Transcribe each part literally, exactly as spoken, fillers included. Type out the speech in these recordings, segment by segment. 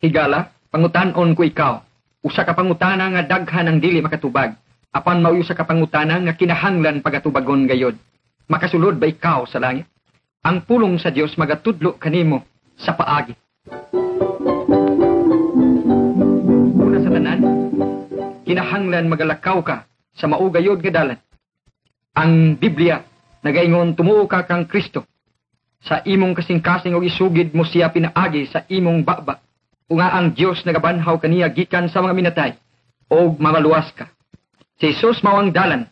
Higala, pangutan-on ko ikaw. Usa ka pangutana nga daghan ang dili makatubag. Apan mao usa ka pangutana nga kinahanglan pagatubagon gayod. Makasulod ba ikaw sa langit? Ang pulong sa Dios magatudlo kanimo sa paagi. Una sa tanan, kinahanglan magalakaw ka sa mao gayod nga dalan. Ang Biblia nagaingon tumuo ka kang Kristo sa imong kasing-kasing og isugid mo siya pinaagi sa imong baba. O nga ang Dios nagabanhaw kaniya gikan sa mga minatay og mamaluwas ka. Si Jesus mao ang dalan.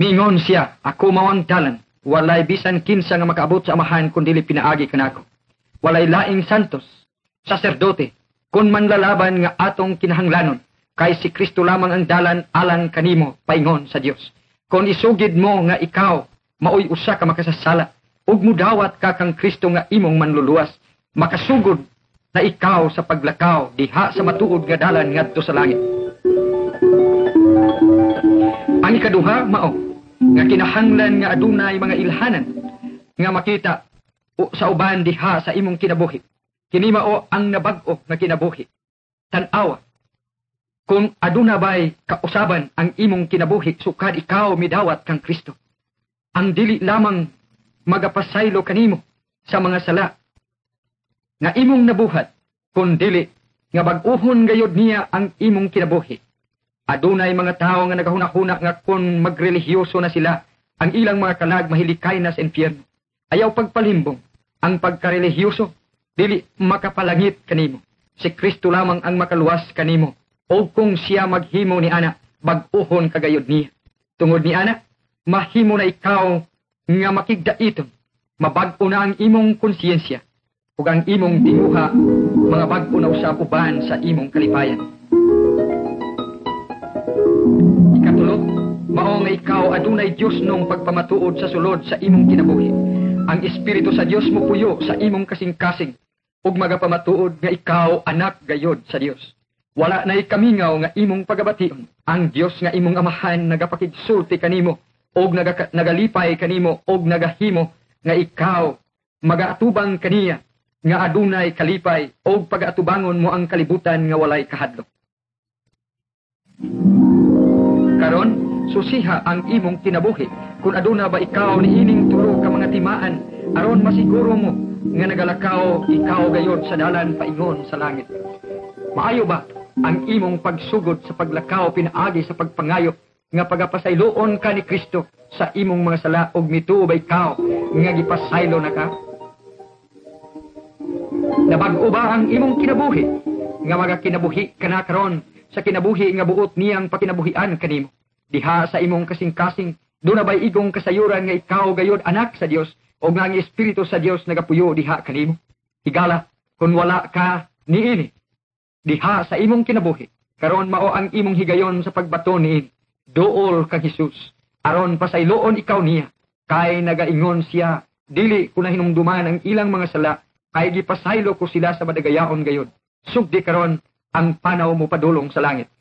Miingon siya, ako mao ang dalan. Walay bisan kinsa nga makaabot sa Amahan kun dili pinaagi kanako. Walay laing santos, saserdote, kun manlalaban nga atong kinahanglanon, kay si Kristo lamang ang dalan alang kanimo paingon sa Dios. Kon isugid mo nga ikaw maoy usa ka makasasala ug mudawat ka kang Kristo nga imong manluluwas, makasugod na ikaw sa paglakaw diha sa matuod nga dalan ngadto sa langit. Ang ikaduha mao nga kinahanglan nga adunay mga ilhanan nga makita o sa uban diha sa imong kinabuhi. Kini mao ang nabag-o nga kinabuhi. Tan-awa kung aduna bay kausaban ang imong kinabuhi sukad ikaw midawat kang Kristo. Ang dili lamang magapasaylo kanimo sa mga sala nga imong nabuhat, kun dili nga bag-uhon gayod niya ang imong kinabuhi. Adunay mga tawo nga nagahuna-huna nga kung magrelihiyoso na sila, ang ilang mga kalag mahilikay na sa impyerno. Ayaw pagpalimbong, ang pagkarelihiyoso dili makapalangit kanimo. Si Kristo lamang ang makaluwas kanimo. O kung siya maghimo ni ana, bag-uhon kagayod niya. Tungod ni ana, mahimo na ikaw nga makigdaiton. Mabag-o na ang imong konsiyensya ug ang imong tinguha mga bag-o na usab uban sa imong kalipayan. Ikatulo, mao nga ikaw adunay Dios nung pagpamatuod sa sulod sa imong kinabuhi. Ang Espiritu sa Dios mopuyo sa imong kasing-kasing ug magapamatuod nga ikaw anak gayod sa Dios. Wala na'y kamingaw nga imong pagabation. Ang Dios nga imong amahan nagapakigsulti kanimo og naga, nagalipay kanimo og nagahimo nga ikaw magaatubang kaniya nga adunay kalipay og pagaatubangon mo ang kalibutan nga walay kahadlok. Karon, susiha ang imong kinabuhi kung aduna ba ikaw niining tulo ka mga timaan aron masiguro mo nga nagalakaw ikaw gayod sa dalan paingon sa langit. Maayo ba ang imong pagsugod sa paglakaw pinaagi sa pagpangayo nga pagapasayloon ka ni Kristo sa imong mga sala ug mituo ba ikaw nga gipasaylo na ka? Nabag-o ba ang imong kinabuhi nga magakinabuhi ka na karon sa kinabuhi nga buot niyang pakinabuhian kanimo? Diha sa imong kasing-kasing, duna bay igong kasayuran nga ikaw gayod anak sa Dios o nga ang Espiritu sa Dios nagapuyo diha kanimo? Higala, kung wala ka niini diha sa imong kinabuhi, karon mao ang imong higayon sa pagbato niini. Duol kang Hesus, aron pasayloon ikaw niya, kay nagaingon siya, dili ko na hinumduman ang ilang mga sala, kay gipasaylo ko sila sa madagayaon gayod. Sugdi karon ang panaw mo padulong sa langit.